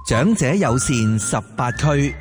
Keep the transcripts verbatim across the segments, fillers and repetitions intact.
長者友善十八區。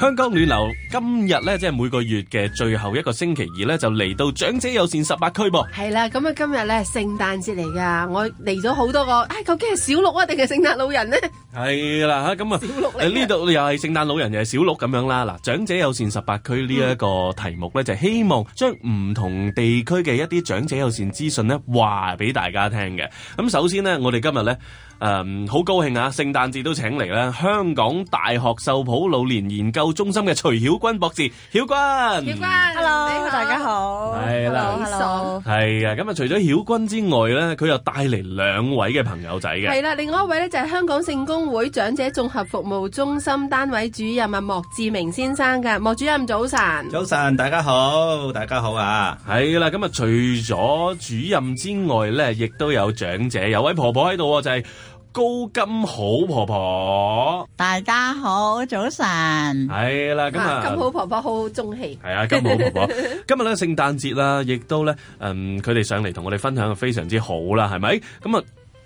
香港暖流今日咧，即係每個月嘅最後一個星期二咧，就嚟到長者友善十八區噃。係啦，咁啊今日咧聖誕節嚟噶，我嚟咗好多個，唉、哎，究竟係小鹿啊定係聖誕老人呢？係啦吓，咁啊，小鹿嚟呢度又係聖誕老人又係小鹿咁樣啦。嗱，長者友善十八區呢一個題目咧，嗯、就係希望將唔同地區嘅一啲長者友善資訊咧話俾大家聽嘅。咁首先呢，我哋今日咧。誒，好、嗯、高興啊！聖誕節都請嚟啦，香港大學秀圃老年研究中心嘅徐曉君博士，曉君，曉君 ，hello，你好大家好，係啦 ，hello，係啊，咁啊，除咗曉君之外咧，佢又帶嚟兩位嘅朋友仔嘅，係啦，另外一位咧就係香港聖公會長者綜合服務中心單位主任啊，莫志明先生嘅，莫主任早晨，早晨，大家好，大家好啊，係啦，咁啊，除咗主任之外咧，亦都有長者，有位婆婆喺度，就係、是。高金好婆婆，大家好，早晨。係啦，咁啊，金好婆婆好中氣。係啊，金好婆婆。今日咧聖誕節啦，亦都咧，嗯，佢哋上嚟同我哋分享非常之好啦，係咪？咁啊，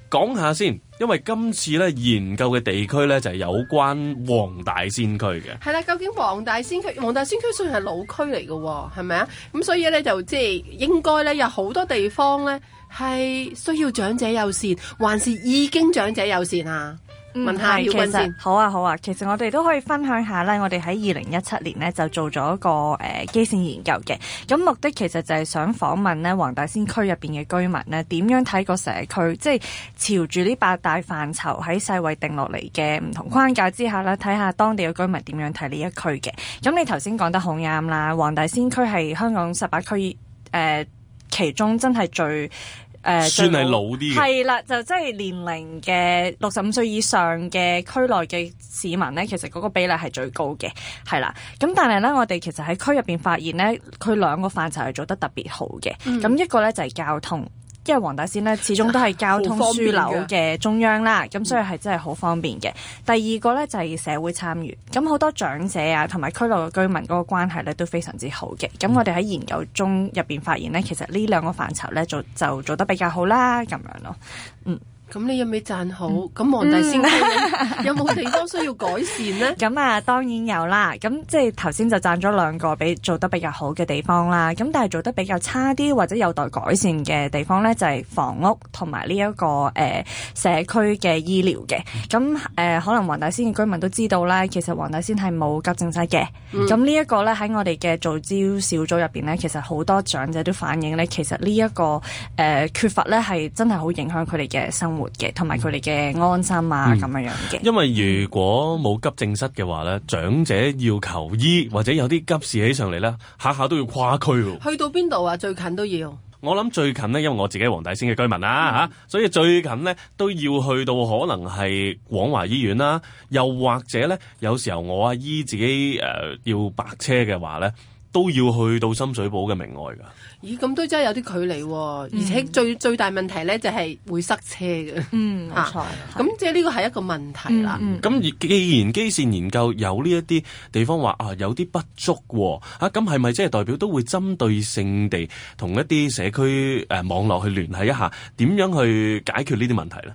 講下先，因為今次咧研究嘅地區咧就係有關黃大仙區嘅。係啦，究竟黃大仙區，黃大仙區雖然係老區嚟嘅，係咪啊？咁所以咧就即係應該咧有好多地方咧。係需要長者友善，還是已經長者友善啊？嗯、問下曉君先。好啊，好啊。其實我哋都可以分享下咧，我哋喺二零一七年咧就做咗一個誒、呃、基線研究嘅。咁目的其實就係想訪問咧黃大仙區入邊嘅居民咧，點樣睇個社區，即係朝住呢八大範疇喺世衛定落嚟嘅唔同框架之下咧，睇下當地嘅居民點樣睇呢一區嘅。咁你頭先講得好啱啦，黃大仙區係香港十八區誒、呃、其中真係最。誒、呃、算係老啲嘅，係啦，就即係年齡嘅六十五歲以上嘅區內嘅市民咧，其實嗰個比例係最高嘅，係啦。咁但係咧，我哋其實喺區入邊發現咧，佢兩個範疇係做得特別好嘅。咁、嗯、一個咧就係交通。因為黃大仙咧始終都係交通樞紐嘅中央啦，咁所以係真係好方便嘅。第二個咧就係社會參與，咁好多長者啊同埋區內嘅居民嗰個關係咧都非常之好嘅。咁我哋喺研究中入邊發現咧，其實呢兩個範疇咧做就做得比較好啦，咁樣咯，嗯。咁你有冇讚好？咁黃大仙區有冇地方需要改善呢？咁啊，當然有啦。咁即係頭先就讚咗兩個比做得比較好嘅地方啦。咁但係做得比較差啲或者有待改善嘅地方咧，就係、是、房屋同埋呢一個誒、呃、社區嘅醫療嘅。咁誒、呃、可能黃大仙嘅居民都知道啦，其實黃大仙係冇急症室嘅。咁、嗯、呢一個咧喺我哋嘅造招小組入邊咧，其實好多長者都反映咧，其實呢、這、一個誒、呃、缺乏咧係真係好影響佢哋嘅生活嘅，同埋佢哋嘅安心啊，咁、嗯、樣樣嘅。因為如果冇急症室嘅話咧，長者要求醫或者有啲急事起上嚟咧，下下都要跨區喎。去到邊度啊？最近都要。我諗最近呢，因為我自己係黃大仙嘅居民啦吓、嗯啊，所以最近呢都要去到可能係廣華醫院啦，又或者咧，有時候我阿姨自己誒、呃、要白車嘅話咧，都要去到深水埗嘅明愛噶。咦，咁都真係有啲距離喎、啊，而且最、嗯、最大問題咧就係會塞車嘅。嗯，冇錯。咁即係呢個係一個問題啦。咁、嗯嗯、既然基線研究有呢一啲地方話啊有啲不足喎，啊咁係咪即係代表都會針對性地同一啲社區誒、呃、網絡去聯繫一下，點樣去解決呢啲問題咧？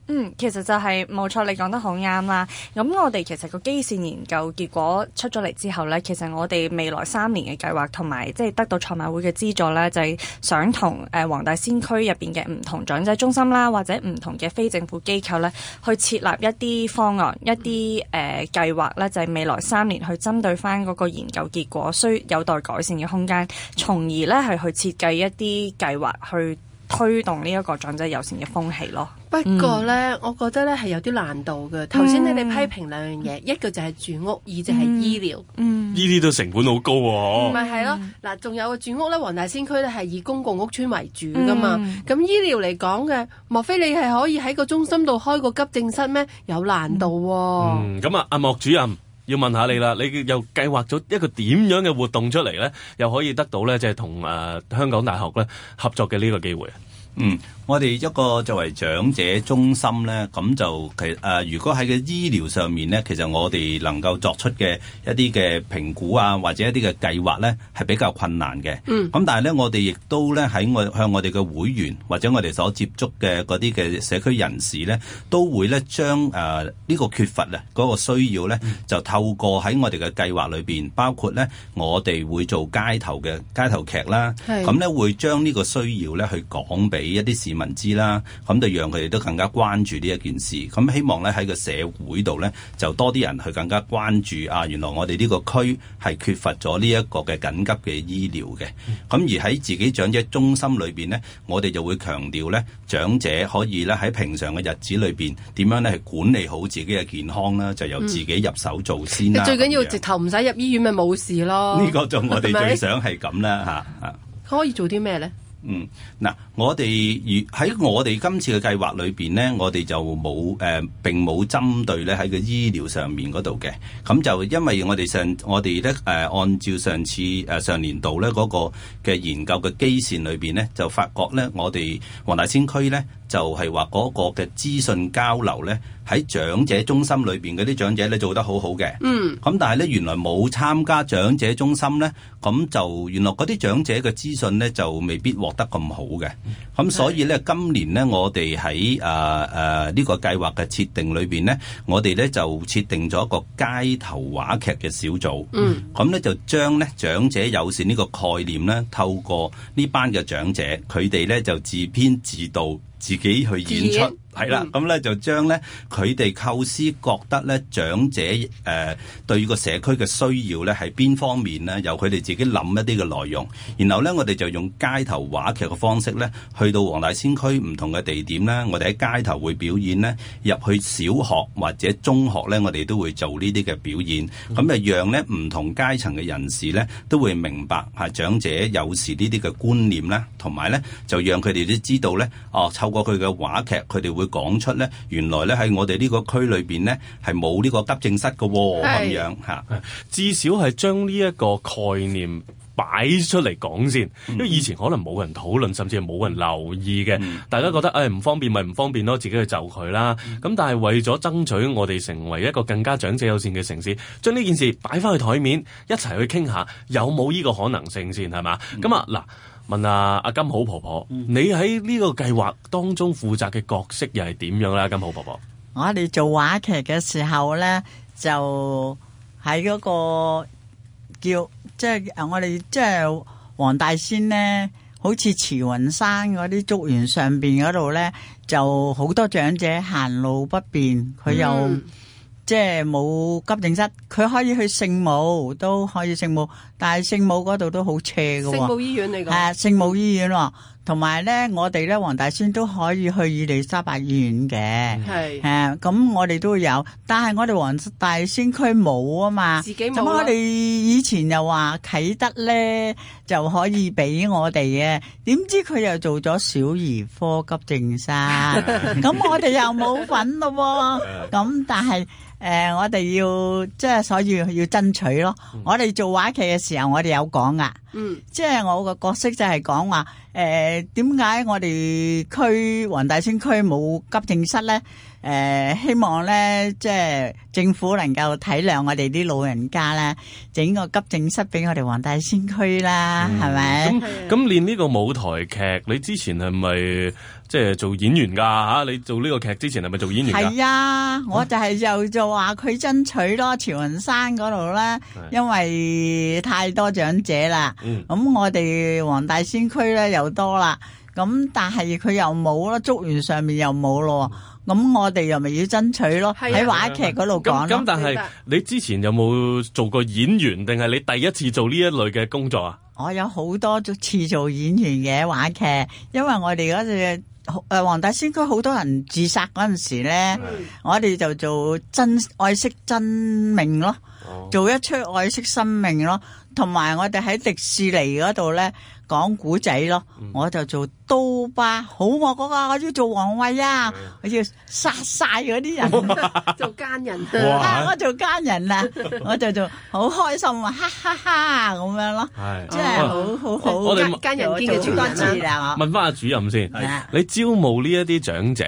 嗯，其實就係冇錯，你講得好啱啦。咁我哋其實個基線研究結果出咗嚟之後咧，其實我哋未來三年嘅計劃同埋即係得到賽馬會嘅資助咧，就係、是、想同誒黃大仙區入邊嘅唔同長者中心啦，或者唔同嘅非政府機構咧，去設立一啲方案、一啲誒計劃咧，就係、是、未來三年去針對翻嗰個研究結果需有待改善嘅空間，從而咧係去設計一啲計劃去推動呢一個長者友善嘅風氣咯。不過咧，嗯、我覺得咧係有啲難度嘅。頭先你哋批評兩樣嘢，嗯、一個就係住屋，二就係醫療。嗯，呢啲都成本好高喎。咪係咯，嗱，仲有個住屋咧，黃大仙區咧係以公共屋邨為主噶嘛。咁、嗯、醫療嚟講嘅，莫非你係可以喺個中心度開個急症室咩？有難度喎。嗯，咁啊，阿莫主任。要問下你啦，你又計劃咗一個點樣嘅活動出嚟咧，又可以得到咧，即係同誒香港大學咧合作嘅呢個機會啊？嗯，我哋一個作為長者中心咧，咁就其實誒、呃，如果喺個醫療上面咧，其實我哋能夠作出嘅一啲嘅評估啊，或者一啲嘅計劃咧，係比較困難嘅。嗯。咁但係咧，我哋亦都咧喺我向我哋嘅會員或者我哋所接觸嘅嗰啲嘅社區人士咧，都會咧將誒呢個缺乏啊嗰個需要咧，就透過喺我哋嘅計劃裏邊，包括咧我哋會做街頭嘅街頭劇啦，咁咧會將呢個需要咧去講俾一啲市民知啦，咁就讓佢哋都更加關注呢一件事。咁希望咧喺個社會度咧，就多啲人去更加關注啊！原來我哋呢個區係缺乏咗呢一個嘅緊急嘅醫療嘅。咁、嗯、而喺自己長者中心裏邊咧，我哋就會強調咧，長者可以咧喺平常嘅日子裏邊點樣咧係管理好自己嘅健康啦，就由自己入手做先啦。嗯、最緊要直頭唔使入醫院咪冇事咯。呢個就我哋最想係咁啦嚇嚇。可以做啲咩咧？嗯，嗱，我哋如喺我哋今次嘅計劃裏邊咧，我哋就冇誒、呃、並冇針對咧喺個醫療上面嗰度嘅，咁就因為我哋上我哋咧誒按照上次誒、呃、上年度咧嗰、那個嘅研究嘅基線裏邊咧，就發覺咧我哋黃大仙區咧就係話嗰個嘅資訊交流咧喺長者中心裏邊嗰啲長者咧做得好好嘅，嗯，咁但係咧原來冇參加長者中心咧，咁就原來嗰啲長者嘅資訊咧就未必獲得咁好嘅，咁所以咧今年咧我哋喺誒誒呢個計劃嘅設定裏邊咧，我哋咧就設定咗一個街頭話劇嘅小組，嗯，咁咧就將咧長者友善呢個概念咧，透過呢班嘅長者，佢哋咧就自編自導，自己去演出。係啦，咁咧、嗯、就將咧佢哋構思覺得咧長者誒、呃、對個社區嘅需要咧係邊方面咧，由佢哋自己諗一啲嘅內容，然後咧我哋就用街頭話劇嘅方式咧，去到黃大仙區唔同嘅地點咧，我哋喺街頭會表演咧，入去小學或者中學咧，我哋都會做呢啲嘅表演，咁就、嗯、讓咧唔同階層嘅人士咧都會明白係長者有時呢啲嘅觀念啦，同埋咧就讓佢哋都知道咧，哦透過佢嘅話劇，佢哋會講出咧，原來咧喺我哋呢個區裏邊咧係冇呢個急症室嘅喎，咁樣嚇，至少係將呢一個概念擺出嚟講先，因為以前可能冇人討論，甚至係冇人留意嘅，嗯、大家覺得誒唔、哎、方便咪唔方便咯，自己去就佢啦。咁、嗯、但係為咗爭取我哋成為一個更加長者友善嘅城市，將呢件事擺翻去台面，一齊去傾下有冇呢個可能性先，係嘛？咁、嗯、啊嗱。問下阿金好婆婆，嗯、你喺呢個計劃當中負責嘅角色又係點樣咧？金好婆婆，我哋做話劇嘅時候咧，就喺嗰個叫即係我哋即係黃大仙咧，好似慈雲山嗰啲竹園上邊嗰度咧，就好多長者行路不便，佢又。嗯即係冇急症室，佢可以去聖母，都可以聖母，但係聖母嗰度都好斜嘅喎。聖母醫院嚟講，係啊，聖母醫院喎，同埋咧，我哋咧黃大仙都可以去伊利沙伯醫院嘅，係誒，咁我哋都有，但係我哋黃大仙區冇啊嘛，自己冇。咁我哋以前又話啟德咧就可以俾我哋嘅，點知佢又做咗小兒科急症室，咁我哋又冇份咯喎，咁但係。誒、呃，我哋要即係所以要爭取咯。嗯、我哋做話劇嘅時候，我哋有講噶，嗯，即係我個角色就係講話，誒、呃，點解我哋區黃大仙區冇急症室咧？誒、呃，希望咧，即係政府能夠體諒我哋啲老人家咧，整個急症室俾我哋黃大仙區啦，係咪、嗯？咁咁練呢個舞台劇，你之前係咪？即係做演員噶吓，你做呢個劇之前係咪做演員噶？係啊，我就係就就話佢爭取咯，慈雲山嗰度咧，因為太多長者啦。咁、嗯、我哋黃大仙區咧又多啦，咁但係佢又冇咯，竹園上面又冇咯。咁、嗯、我哋又咪要爭取咯，喺話劇嗰度講咯。咁但係你之前有冇做過演員，定係你第一次做呢一類嘅工作啊？我有好多次做演員嘅話劇，因為我哋嗰隻。誒，黃大仙區好多人自殺嗰陣時咧，嗯、我哋就做真愛惜真命咯。哦、做一出愛惜生命咯。同埋我哋喺迪士尼嗰度咧講古仔咯，嗯、我就做刀疤，好惡嗰個，我要做王慧啊，嗯、我要殺晒嗰啲人，做奸人啊，我做奸人啊，我就做好開心啊，哈哈哈咁樣咯，即係好好好，我哋奸人堅嘅主人啊。問翻阿主任先，你招募呢一啲長者，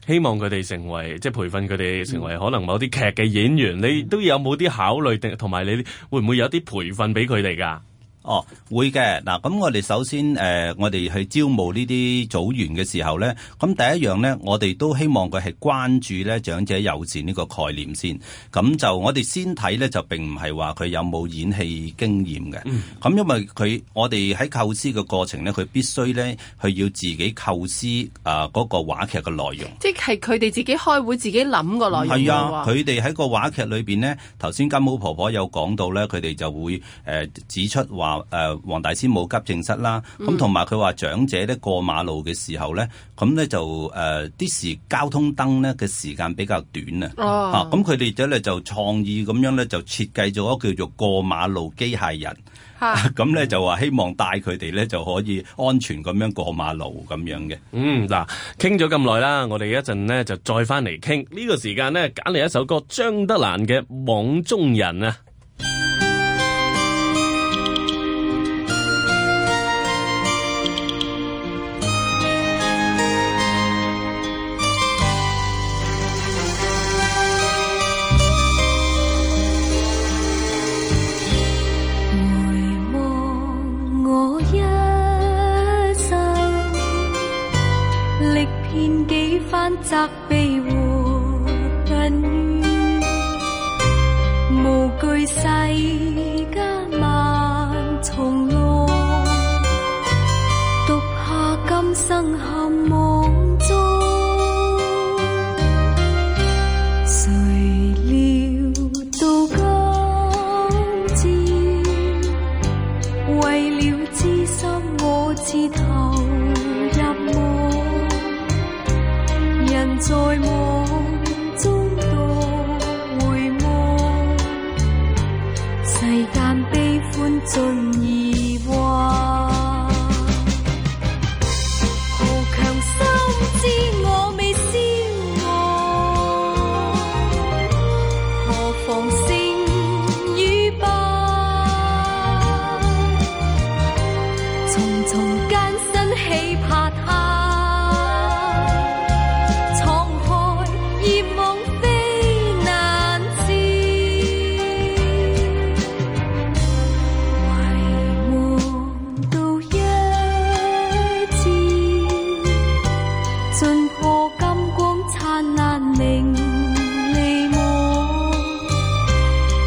希望佢哋成為即係培訓佢哋成為可能某啲劇嘅演員，嗯、你都有冇啲考慮定同埋你會唔會有啲培訓俾佢哋㗎？哦，會嘅。嗱，咁我哋首先誒、呃，我哋去招募呢啲組員嘅時候咧，咁第一樣咧，我哋都希望佢係關注咧長者友善呢個概念先。咁就我哋先睇咧，就並唔係話佢有冇演戲經驗嘅。咁、嗯、因為佢我哋喺構思嘅過程咧，佢必須咧佢要自己構思啊嗰、呃那個話劇嘅內容。即係佢哋自己開會自己諗個內容。係啊，佢哋喺個話劇裏邊咧，頭先金毛婆婆有講到咧，佢哋就會誒、呃、指出話。誒黃大仙冇急症室啦，咁同埋佢話長者咧過馬路嘅時候咧，咁咧就誒啲、呃、時交通燈咧嘅時間比較短啊，嚇咁佢哋咧就創意咁樣咧就設計咗一個叫做過馬路機械人，咁咧、啊、就話希望帶佢哋咧就可以安全咁樣過馬路咁樣嘅。嗯，嗱，傾咗咁耐啦，我哋一陣咧就再翻嚟傾呢個時間咧，揀嚟一首歌，張德蘭嘅《網中人》啊。責備和恨怨，無懼世間萬重浪，獨下今生陷網中。誰料到今朝，為了知心我自投入夢。人在夢中多回望，世間悲歡盡已幻。豪強心知我未消亡，何妨勝與敗？重重艱辛起拍下。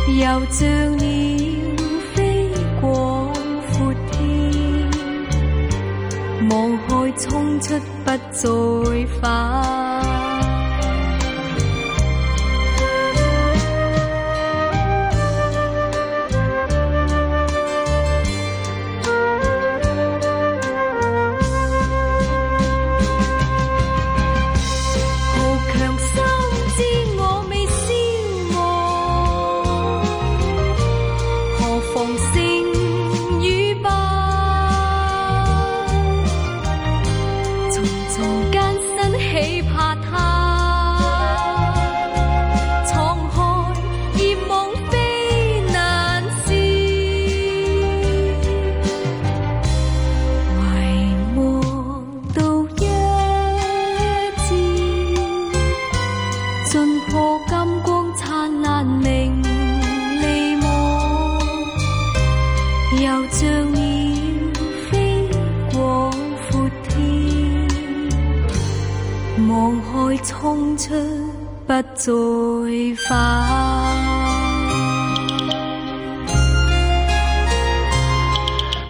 又像鳥飛過闊天，望海衝出不再返。衝出不再返。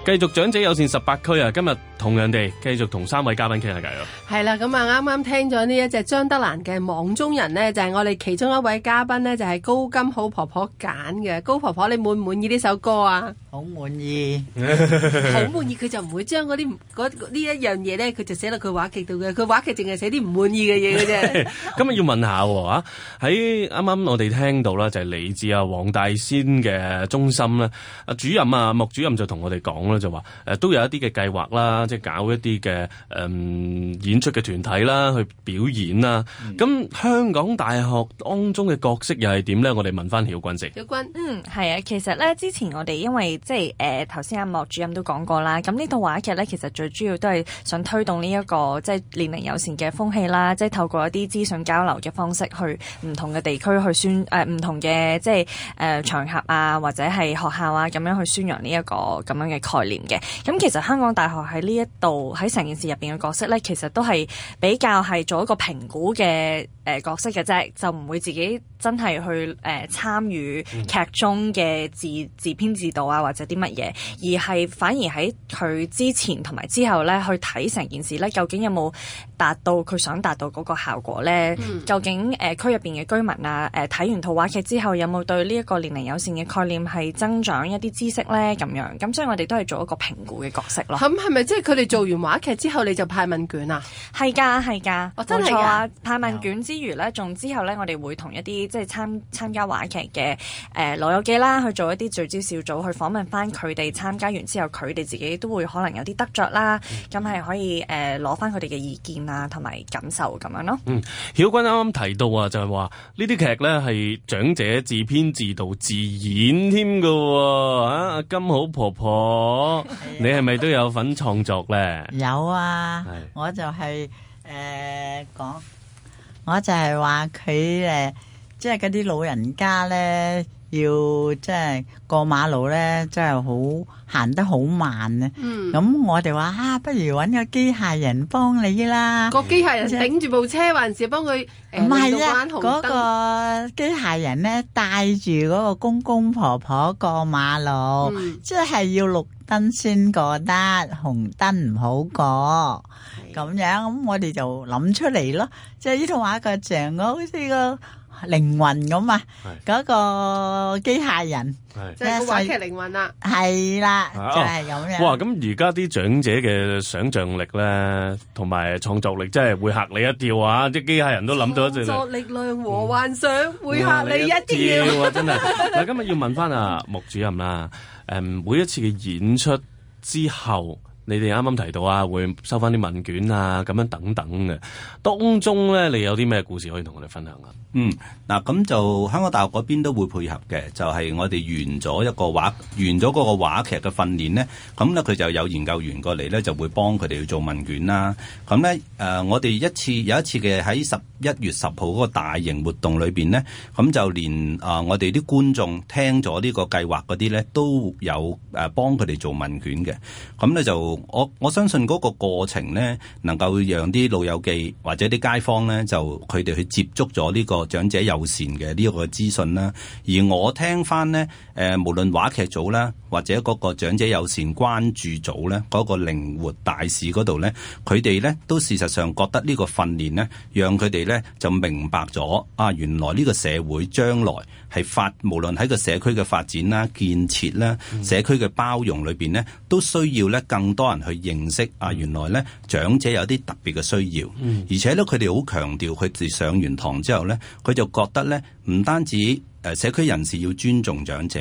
繼續長者友善十八區啊！今日同樣地繼續同三位嘉賓傾下偈咯。係啦，咁啊啱啱聽咗呢一隻張德蘭嘅《網中人》呢，就係、是、我哋其中一位嘉賓呢，就係、是、高金好婆婆揀嘅。高婆婆，你滿唔滿意呢首歌啊？好滿意，好滿意，佢就唔會將嗰啲呢一樣嘢咧，佢就寫落佢話劇度嘅。佢話劇淨係寫啲唔滿意嘅嘢嘅啫。咁啊要問下喎，喺啱啱我哋聽到啦，就係嚟自啊黃大仙嘅中心咧，啊主任啊穆主任就同我哋講啦，就話誒都有一啲嘅計劃啦，即係搞一啲嘅誒演出嘅團體啦，去表演啦。咁、嗯、香港大學當中嘅角色又係點咧？我哋問翻曉君先。曉君，嗯，係啊，其實咧之前我哋因為即係誒頭先阿莫主任都講過啦，咁呢套話劇咧其實最主要都係想推動呢、這、一個即係年齡友善嘅風氣啦，即係透過一啲資訊交流嘅方式去唔同嘅地區去宣誒唔、呃、同嘅即係誒、呃、場合啊或者係學校啊咁樣去宣揚呢一個咁樣嘅概念嘅。咁其實香港大學喺呢一度喺成件事入邊嘅角色咧，其實都係比較係做一個評估嘅誒、呃、角色嘅啫，就唔會自己真係去誒、呃、參與劇中嘅自自編自導啊或者啲乜嘢，而係反而喺佢之前同埋之後咧去睇成件事咧，究竟有冇達到佢想達到嗰個效果咧？嗯、究竟誒、呃、區入邊嘅居民啊誒睇、呃、完套話劇之後有冇對呢一個年齡友善嘅概念係增長一啲知識咧？咁樣咁所以我哋都係做一個評估嘅角色咯。咁係咪即係佢哋做完話劇之後你就派問卷啊？係㗎係㗎，哦真係㗎！派問卷之餘咧，仲之後咧我哋會同一啲即係參參加話劇嘅誒老友記啦去做一啲聚焦小組去訪問翻佢哋參加完之後，佢哋自己都會可能有啲得着啦，咁係、嗯、可以誒攞翻佢哋嘅意見啊同埋感受咁樣咯。嗯，曉君啱啱提到啊，就係話呢啲劇咧係長者自編自導自演添噶喎，啊金好婆婆，你係咪都有份創作咧？有啊，我就係誒講，我就係話佢誒，即係嗰啲老人家咧。要即係過馬路咧，真係好行得好慢啊！咁、嗯、我哋話啊，不如搵個機械人幫你啦。個機械人頂住部車，還是幫佢？唔係啊，嗰個機械人咧帶住嗰個公公婆婆過馬路，嗯、即係要綠燈先過得，紅燈唔好過。咁樣咁，我哋就諗出嚟咯。即係呢套話個像好似個靈魂咁啊，嗰個機械人，即係個話劇靈魂啦，係啦，就係咁樣。哇！咁而家啲長者嘅想像力咧，同埋創作力，真係會嚇你一跳啊！啲機械人都諗到一隻。創作力量和幻想會嚇你一跳啊！真係。嗱，今日要問翻阿穆主任啦，誒，每一次嘅演出之後。你哋啱啱提到啊，會收翻啲問卷啊，咁樣等等嘅。當中咧，你有啲咩故事可以同我哋分享啊？嗯，嗱，咁就香港大學嗰邊都會配合嘅，就係、是、我哋完咗一個話，完咗嗰個話劇嘅訓練咧，咁咧佢就有研究員過嚟咧，就會幫佢哋去做問卷啦。咁咧誒，我哋一次有一次嘅喺十一月十號嗰個大型活動裏邊咧，咁就連啊、呃、我哋啲觀眾聽咗呢個計劃嗰啲咧，都有誒幫佢哋做問卷嘅。咁咧就我我相信嗰個過程咧，能夠讓啲老友記或者啲街坊咧，就佢哋去接觸咗呢個長者友善嘅呢個資訊啦。而我聽翻咧，誒、呃、無論話劇組啦，或者嗰個長者友善關注組咧，嗰、嗰個靈活大使嗰度咧，佢哋咧都事實上覺得呢個訓練咧，讓佢哋咧就明白咗啊，原來呢個社會將來係發，無論喺個社區嘅發展啦、建設啦、嗯、社區嘅包容裏邊咧，都需要咧更多人去認識啊，原來咧長者有啲特別嘅需要，嗯、而且咧佢哋好強調，佢哋上完堂之後咧，佢就覺得咧唔單止誒社區人士要尊重長者，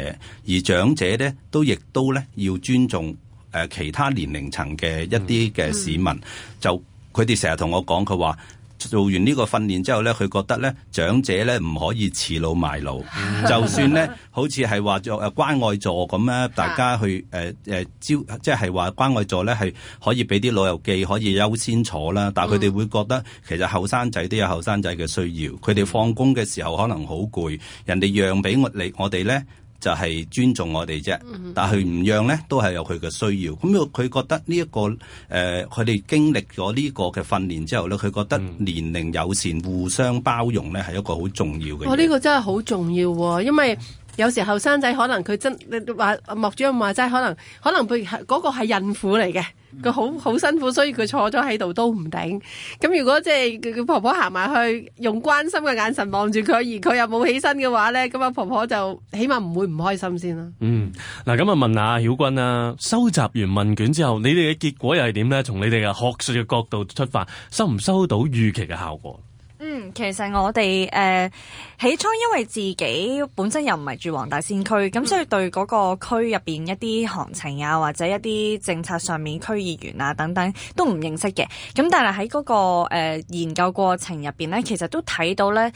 而長者咧都亦都咧要尊重誒其他年齡層嘅一啲嘅市民，嗯、就佢哋成日同我講，佢話做完呢個訓練之後咧，佢覺得咧長者咧唔可以恃老賣老，就算咧好似係話做誒關愛座咁咧，大家去誒誒招，即係話關愛座咧係可以俾啲老友記可以優先坐啦，但係佢哋會覺得其實後生仔都有後生仔嘅需要，佢哋放工嘅時候可能好攰，人哋讓俾我哋我哋咧。就係尊重我哋啫，但係佢唔讓咧，都係有佢嘅需要。咁佢覺得呢、這、一個誒，佢、呃、哋經歷咗呢個嘅訓練之後咧，佢覺得年齡友善、互相包容咧，係一個好重要嘅。哇！呢、這個真係好重要喎，因為有時後生仔可能佢真你話莫主任話齋，可能可能佢嗰個係孕婦嚟嘅。佢好好辛苦，所以佢坐咗喺度都唔頂。咁如果即係佢婆婆行埋去，用關心嘅眼神望住佢，而佢又冇起身嘅話咧，咁啊婆婆就起碼唔會唔開心先啦。嗯，嗱咁啊問下曉君啦，收集完問卷之後，你哋嘅結果又係點咧？從你哋嘅學術嘅角度出發，收唔收到預期嘅效果？嗯，其實我哋誒、呃、起初因為自己本身又唔係住黃大仙區，咁、嗯、所以對嗰個區入邊一啲行程啊，或者一啲政策上面區議員啊等等都唔認識嘅。咁但係喺嗰個、呃、研究過程入邊咧，其實都睇到咧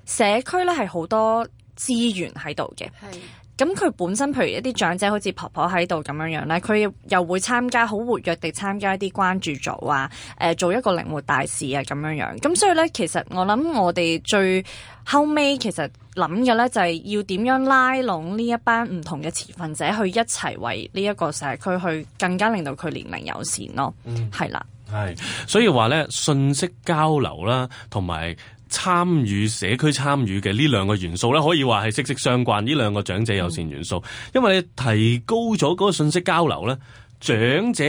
社區咧係好多資源喺度嘅。係。咁佢本身譬如一啲長者好似婆婆喺度咁樣樣咧，佢又會參加好活躍地參加一啲關注組啊，誒、呃、做一個靈活大使啊咁樣樣。咁所以咧，其實我諗我哋最後尾其實諗嘅咧就係要點樣拉攏呢一班唔同嘅持份者去一齊為呢一個社區去更加令到佢年齡友善咯。嗯，係啦，係，所以話咧信息交流啦，同埋參與社區參與嘅呢兩個元素咧，可以話係息息相關。呢兩個長者友善元素，嗯、因為你提高咗嗰個信息交流咧，長者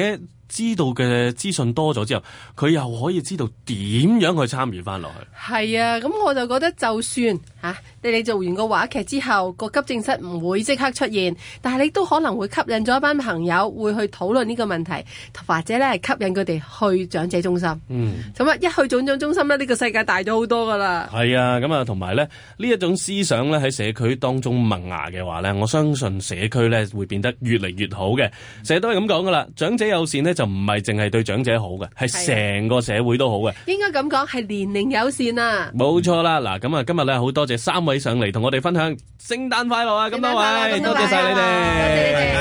知道嘅資訊多咗之後，佢又可以知道點樣去參與翻落去。係啊，咁我就覺得就算嚇、啊、你哋做完個話劇之後，個急症室唔會即刻出現，但係你都可能會吸引咗一班朋友會去討論呢個問題，或者咧係吸引佢哋去長者中心。嗯，咁啊一去長者中心咧，呢、呢個世界大咗好多噶啦。係啊，咁啊同埋咧呢一種思想咧喺社區當中萌芽嘅話咧，我相信社區咧會變得越嚟越好嘅。成日都係咁講噶啦，長者友善咧就唔係淨係對長者好嘅，係成個社會都好嘅。應該咁講，係年齡友善啊。冇錯啦，嗱咁啊，今日咧好多謝三位上嚟同我哋分享聖誕快樂啊！咁多位，多謝晒你哋。